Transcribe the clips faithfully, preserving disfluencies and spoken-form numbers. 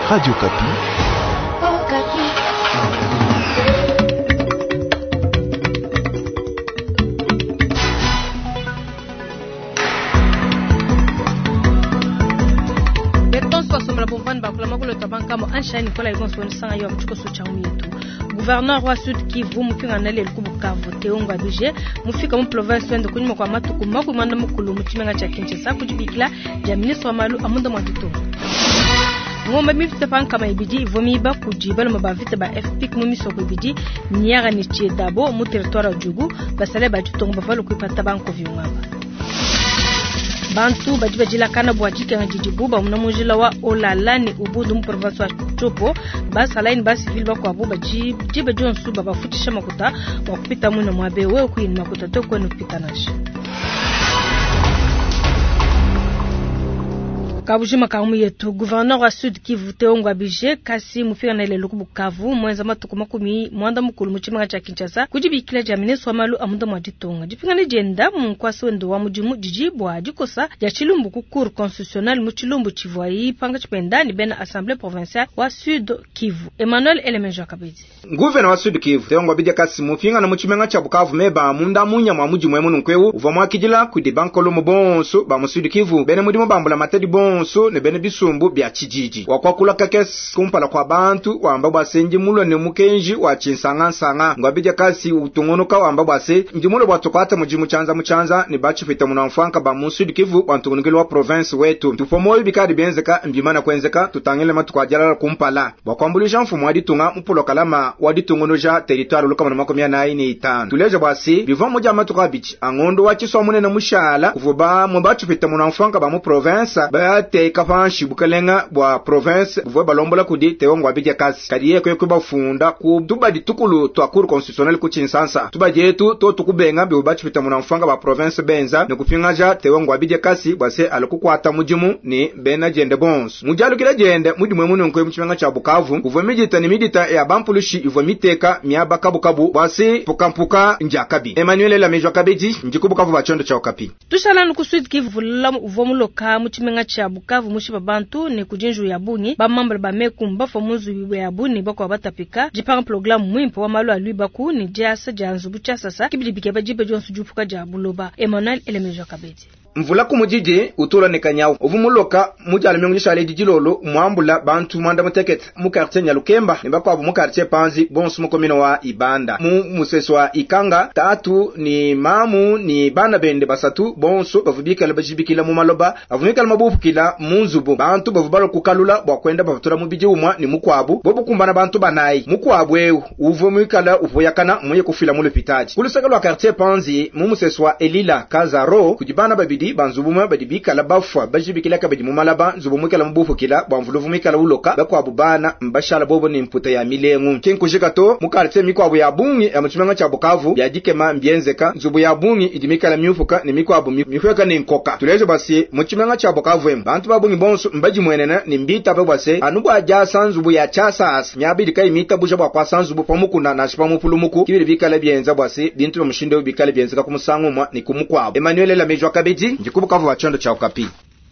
Radio Okapi. Gouverneur wa Sud Kivu mupingana lelu ku Bukavu Théo Ngwabije mufika mu province wende kunyuma kwa matuku makumi manda mukulu mu tshimenga tshia Kinshasa kudibikila dia ministre wa malu a munda mua ditunga. Ngombe mivita pa nkama ibidi ivua miba kudi balume ba vita ba F P mu misoko ibidi Niara ne Tshedabo mu territoire wa Djugu basale ba ditunga bavua kuipata bankovi ngaba. Bantu badi badilakana bua dikenga didibu bamuna mu njila wa Olala ne Ubundu mu province wa Tshopo basalayi ne basivili bakuabu badi diba dionso babafutisha makuta bua kupita muina muabe wewe kuyini makuta to kwenu kupita nansha. Kabujima kamu yetu gouverneur wa Sud Kivu Théo Ngwabije kasi mufika lelo ku Bukavu mwenza matuku makumi mwanda mukulu mu tshimenga tshia Kinshasa kudibikila dia ministre wa malu a munda mua ditunga dipingana dienda mu nkwasi wende wa mudimu didi bua dikosa dia tshilumbu ku cour constitutionnelle mu tshilumbu tshivuayi panga tshipenda ni bena assemblée provinciale wa Sud Kivu Emmanuel Elemenjo Kabedi. Gouverneur wa Sud Kivu Théo Ngwabije kasi mufika na mu tshimenga tshia Bukavu meba munda munya mwa mudimu emu nunkweu uvua muakidila kudi bankolo mu bonso ba mu Sud Kivu bene mudimu bambula matadi bonso ne bene bisumbu bya tshijiji wakwakula kakesi kumpala kwa bantu wamba bwasenji mulwa ne mukenji wa tshinsangansanga Ngwabije kasi utungunuka wamba bwase ndi mulwa bwatukwata mujimu chanza muchanza ne bachifita munamfanka ba mu Sud Kivu bantungunukilo wa province wetu tufomoyo bikadi bienzeka mbimana kwenzeka tutangile matuku ajalala kumpala bwakwambulisha mfumo wa ditunga mupulokalama wa ditungunuja territoire lukama na makumi anayi ne itanu tuleja bwasi bivwa muja matuku abichi angondo wa chiswa munene mushala kuvuba mu bachifita munamfanka ba mu province ba teka panshi bukalenga bwa province buvwe balombola kudi Théo Ngwabije kasi kadi yeko yeko bafunda ku tubadi tukulu twa cour constitutionnelle ku Tshinsansa tubadi yetu to tukubenga bibu bachipita munamfanga ba province benza ne kupingaja Théo Ngwabije kasi bwase alukukwata mujimu ni bena jende bonso mujalukila jende mudimu emu nko mu tshimenga tshia Bukavu kuvwe midita ni midita ya bampulushi ivwe miteka miaba kabukabu bwase pukampuka njakabi Emmanuel Lamejwa Kabedi njikubukavu bachondo cha Okapi tushala ku Sud Kivu la uvwa muloka mu tshimenga tshia Bukavu mushiba bantu ne kujinju ya bungi ba membre ba mekumba fo muzu ya bungi bakwa batapika jipanga programme mwimpo wa malu alwibaku ni jasa janzu buchasasa kibidibike bajibe jonsu jupuka ja buloba Emmanuel Elemejo Kabedi. Mvula kumujiji utula ne kanyawu uvumuloka mujala myongo shale dijilolo mwambula bantu mwanda mutekete mu quartier Nyalukemba ne bakwabu mu quartier Panzi bonso mu komino wa Ibanda mu museso wa Ikanga tatu ni mamu ni bana bende basatu bonso bavubikala bajibikila mu maloba avumikala mabufukila mu nzubu bantu bavubalo kukalula bwa kwenda bavutura mu biji umwa ni mukwabu bobo kumbana bantu banayi mukwabu eu uvo mwikala uvoyakana muye kufila mu lopitaji kulusaka lwa quartier Panzi mu museso wa Elila Kazaro kujibana babidi banzubumwe badibikala bafwa bajibikila kabidi mu malaba nzubumwe kala mubufukila bwamvuluvu mikala uloka bakwabu bana mbashala bobo ni mputa ya milengu kinkujika to mu quartier mikwabu ya bungi ya muchimenga cha Bukavu ya dikema mbienzeka nzubu ya bungi idimikala miufuka ni mikwabu mifuka ni nkoka tulejo basi muchimenga cha Bukavu em bantu babungi bonso mbajimwenena ni mbita bwase anubwa jasa nzubu ya chasas nyabidi kai mita buja bwa kwa sanzubu pamukuna na shipamupulumuku kibiri bikala bienza bwase bintu mushindo bikala bienzeka kumusangu ni kumukwabu Emmanuel Lamejwa Kabedi njikubukavu bachondo cha Okapi.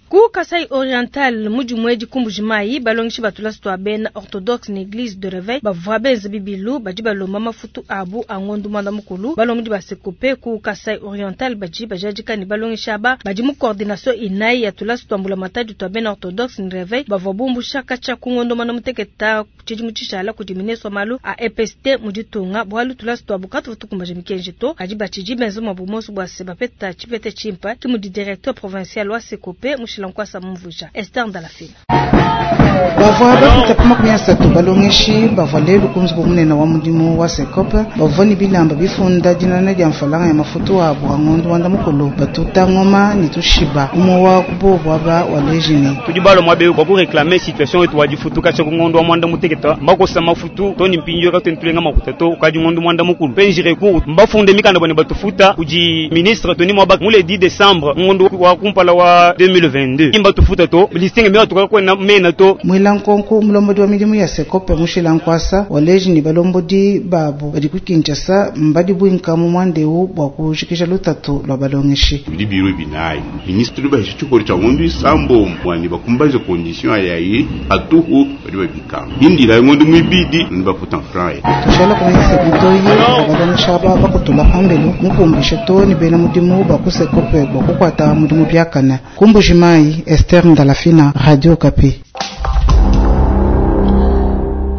Ku Kasai Oriental muji mwedi kumbujimayi balongishi batula sto bena orthodoxe na église de réveil bavwa benze bibilu badi balomba mafutu abu angondu mwanda mukulu balongi basekope ku Kasai Oriental badi bajadika ni balongishi aba badi mu coordination inayi ya tula sto ambula matadi to bena orthodoxe na réveil bavwa bumbusha kacha ku ngondo mwana muteketa tshidi mutshishala kudi mineso malu a E P S T muditunga bwalu tula sto abukatu tukumbaje mikenji to kadi batshidi benze mabumoso bwa sebapeta chipete chimpa ki mudi directeur provincial wa sekope mushila nkwasa mvuja Esther Ndalafina. Bavwa bapita ku makumi asatu balongeshi bavwa lelu ku nzubu munene wa mudimu wa Sekope bavwa ni bilamba bifunda dinana dia mfalanga ya mafutu abu angondo wanda mukulu batuta ngoma ni tushiba umwe wa kubo aba wa lejini tudi balo mwabe kwa ku réclamer situation etu wajifutuka cha ngondo wa mwanda muteketa mbakosa mafutu toni mpinjo ka tentulenga makuta to kaji ngondo mwanda mukulu penji recours mbafunde mikanda bone batufuta kuji ministre toni mwaba mule dix décembre ngondo wa kumpala wa deux mille vingt vingt-deux imba tufuta to listing mbe tuka kwena mena to. Mwila nkonko mulombodi wa midimu ya Sekope mushila nkwasa waleji ni balombodi babu badi ku Kinshasa mbadi bwinka mu mwandeu bwa kujikisha lutatu lwa balongeshi. Bidi biro binayi ministre ba chikori cha ngondu isambo mwani bakumbaje condition ayayi atuhu badi babikanga bindira ngondu mwibidi nibafuta franc. Tushala kumanyisa bitoyi balongesha aba bakutula pambelu mukumbisha to ni bena mudimu ba ku Sekope bwa kukwata mudimu byakana. Ku Mbujimayi, Esther Ndalafina, Radio Okapi.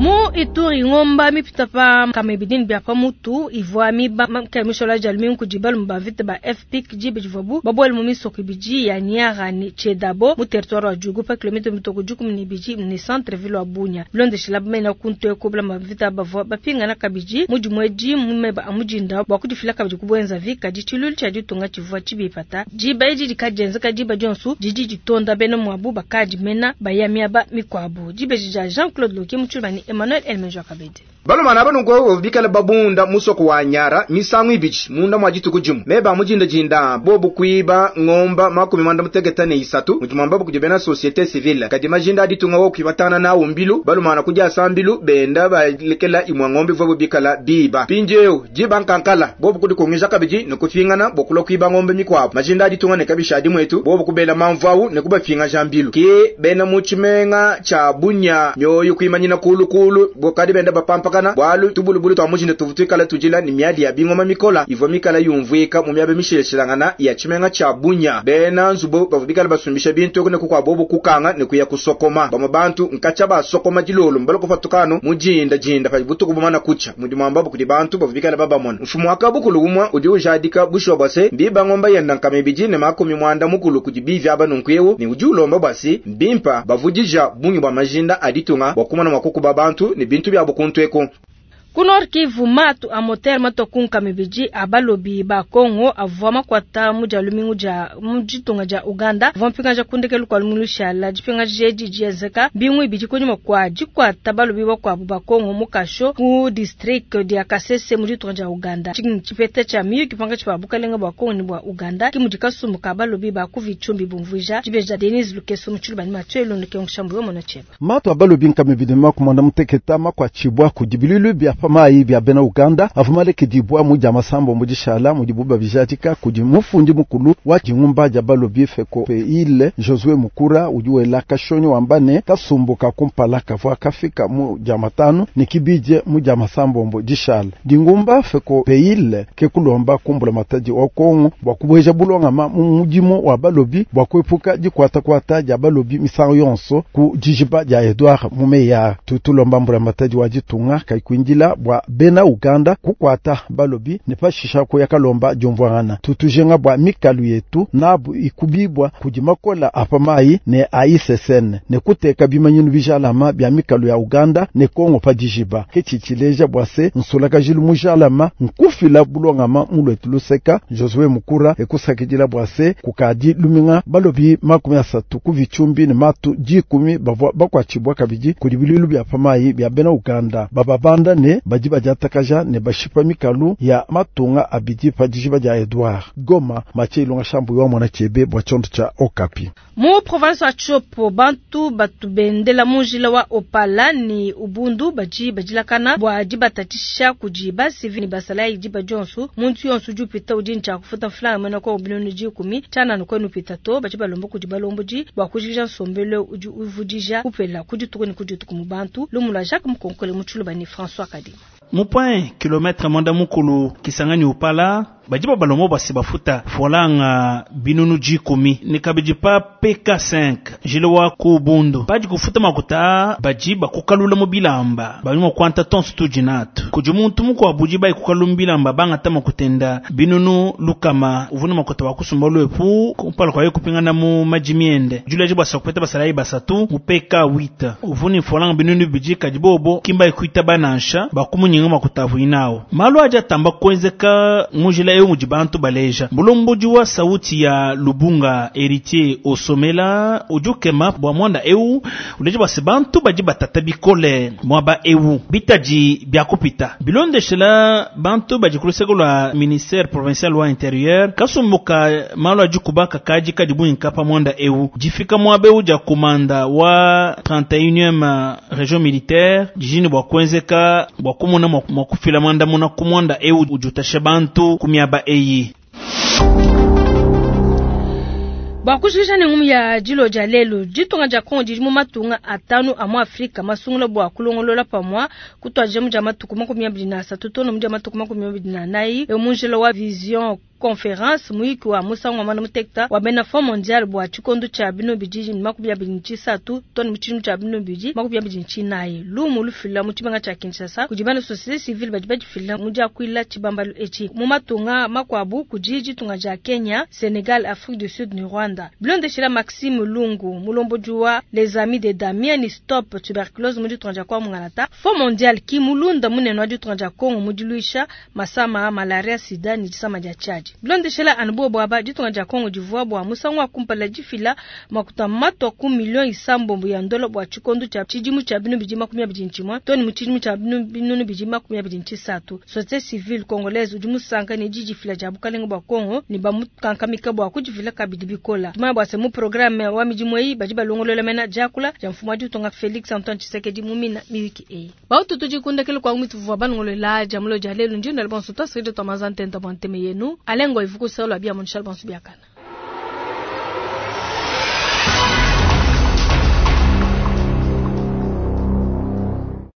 Mu Ituri ngomba mipita pa kamebidini bya pamutu ivwa miba mkemishola jalmi kujibal mbavite ba F P K jibe jivabu babwele mu misoko biji ya Niara ni Chedabo mu territoire wa Djugu pa kilomita mitoko juku ni biji ni centre ville wa Bunia blonde shilab mena kunto ekobla mavita bavwa bapinga na kabiji muji mweji mumeba amujinda bwa kudifila kabiji kubwenza vika jichulul cha jitunga chivwa chibipata jiba iji dikajenza kajiba jonsu jiji jitonda bena mwabu bakaji mena bayamiaba mikwabu jibe jija Jean-Claude Loki muchulani Emmanuel Elmejo Kabede. Balomana abano ngo bikala babunda musoko wa Nyara misangu ibichi munda mwa jituku jimu meba mujinda jinda bobu kuiba ngomba makumi mwanda mutegeta ne isatu mujimamba kujibena société civile kadi majinda aditunga wo kuibatana na umbilu balomana kuja sambilu benda balekela imwa ngombe vobo bikala biba pinjeo jiba nkankala bobu kudi kongisha kabiji nokufingana bokulo kuiba ngombe mikwabo majinda aditunga ne kabisha dimwetu bobu kubela mamvau ne kubafinga jambilu ke bena muchimenga cha Bunya nyoyo kuimanyina kulu kulu bokadi benda bapampaka bwalu tubulubulu twa mujinde tuvutikala tujila ni miadi ya bingoma mikola ivo mikala yumvwika mu myabe mishileshilangana ya chimenga cha Bunya bena nzubo bavubikala basumbisha bintu ne kukwa bobo kukanga ne kuya kusokoma bama bantu nkacha basokoma jilolo mbalo kufatukano mujinda jinda pa butuku bumana kucha mudi mwamba kudi bantu bavubikala babamona mfumo akabukulu umwa udi ujadika bushwa bwase mbiba ngomba yenda nkamebiji ne makumi mwanda mukulu kujibivi aba nunkuyewo ni udi ulomba bwasi mbimpa bavujija bungi bwa majinda aditunga bwakumana mwakukuba bantu ne bintu bya bukuntweko. Ku Nord Kivu matu a moter matokunka mibiji abalobi ba Kongo avwa makwata muja lumingu ja mujitunga ja Uganda vampinga ja kundekelu kwa lumingu shala jipinga jeji jezeka bingu ibiji konyuma kwa jikwata balobi ba kwa ba Kongo mukasho ku district dia Kasese mujitunga ja Uganda chipete cha miyu kipanga cha bukalenga bwa Kongo ni bwa Uganda kimujikasumuka balobi ba kuvichumbi bumvuja jibeja Denise Lukeso muchulubani matwelo ndike ngishambu yomo na cheba matu abalobi nkamibidi makumanda muteketa makwa chibwa kujibilulu bya pamayi bya bena Uganda avumaleke dibwa muja masambo mujishala mujibuba bijatika kudi mufundi mukulu wa jingumba ja balobi feko ile Josue Mukura ujuwela kashonyo wambane kasumbuka kumpala kavwa kafika mu jamatano nikibije muja masambo mbo jishala dingumba feko peile ke kulomba kumbula mataji wa Kongo bwa kubweja bulonga ma mujimo wa balobi bwa kuepuka jikwata kwata ja balobi misango yonso ku jijiba ja Edouard Mumeya tutulomba mbula mataji wa jitunga kaikwindila bwa bena Uganda kukwata balobi ne pashisha ko yakalomba jomvwana tutujenga bwa mikalu yetu nabu ikubibwa kujimakola apamayi ne A I C S N ne kuteka bimanyinu bijalama bya mikalu ya Uganda ne Kongo pa dijiba kechichileja bwa se nsulaka jilu mujalama nkufila bulongama mulwetu luseka Josue Mukura ekusakidila bwa se kukadi luminga balobi makumi asatu kuvichumbi ne matu jikumi bavwa bakwachibwa kabiji kudibililu bya pamayi bya bena Uganda bababanda ne bajiba jatakaja ne bashipa mikalu ya matunga abidi pa dijiba ja Edouard Goma mache ilonga shambu wa mwana chebe bwa chondo cha Okapi mu province wa Chopo bantu batubendela munjila wa Opala ni Ubundu baji bajilakana bwa jibatatisha kujiba sivi ni basala ijiba jonsu muntu yonsu jupita ujincha kufuta fulanga mena kwa bilioni jikumi chana nko nupita to baji balombo kujiba lomboji bwa kujija nsombele uji uvujija kupela kujituko ni kujituko mu bantu lumula Jacques Mkonkole muchuluba ni François Kadima Mupoint kilomètre mwanda mukulu Kisangani Upala bajiba balomo basi bafuta folanga binunu jikumi nikabiji pa P K cinq jilewa ku Bundu baji kufuta makuta bajiba kukalula mu bilamba balimo kwanta tonsu tujinatu kuji muntu muko abuji bai kukalula bilamba banga tama kutenda binunu lukama uvuna makuta wakusumba lwepu kumpala kwa kupingana mu majimiende jule jiba sakupeta basalai basatu mu P K huit uvuni folanga binunu bijika jibobo kimba ikuita banansha bakumunyinga makuta vuinao malu aja tamba kwenzeka mujila ewu mudi bantu baleja mulombodi wa sauti ya Lubunga Héritier Osomela udi ukema bua mwanda ewu uleja bua se bantu badi batata bikole mwaba ewu bitadi bia kupita bilondeshela bantu badi ku luseke lua ministère provincial wa intérieur kasumbuka malu adi kubaka kadi kadi buinka pa mwanda ewu difika mwaba ewu dia komanda wa trente et unième région militaire dijini bua kuenzeka bua kumona mua kufila mwandamuna ku mwanda ewu udi utasha bantu ku miaba eyi. Bua kushikisha ne ngumu ya dilo dia lelu, ditunga dia Kongo didi mu matunga atanu a mu Afrika masungula bua kulongolola pamua kutuadija mu dia matuku makumi abidi na asatu to ne mu dia matuku makumi abidi na anayi mu njila wa vision conférence muyiki wa musangu wa mwanda muteketa wa bena Fonds mondial bua tshikondo tshia bino bidi makumi abidi ne tshisatu to ne mu tshidimu tshia bino bidi makumi abidi ne tshinayi. Lumu lufila mu tshimenga tshia Kinshasa kudi bena société civile badi badifila mu diakuila tshibambalu etshi. Mu matunga makuabu kudi ditunga dia Kenya, Senegal, Afrique du Sud ne Rwanda. Bilondeshela Maxime Lungu, mulombodi wa Les Amis de Damien Stop Tuberculose mu ditunga dia kwa Mungalata, Fonds mondial ki mulunda munene wa ditunga dia Kongo mu diluisha masama malaria, sida ne disama dia tshiadi. Bilondeshela anu bobo aba, ditunga dia Kongo divua bua musangu wa kumpala difila makuta matwa ku miliyoni isambombo ya ndola bua tshikondo tshia tshidimu tshia binu bidi makumi abidi ntshimue to ne mu tshidimu tshia binu bidi makumi abidi ntshisatu. Société civile congolaise udi musanka ne didifila dia bukalenga bua Kongo ne bamukankamika bua kudifila kabidi bikola. Tumanya bua se mu programme wa midimu eyi badi balongolola mena diakula dia mfumu wa ditunga Felix Antoine Tshisekedi mu mina miyuki eyi. Bautu tudi kundekele kwa mitu vua balongolola dia mulo dia lelu. Ndi ndala bonso twasiride twamaza ntenta bua nteme yenu alengo ivukuselo bia monshal bonso biakana.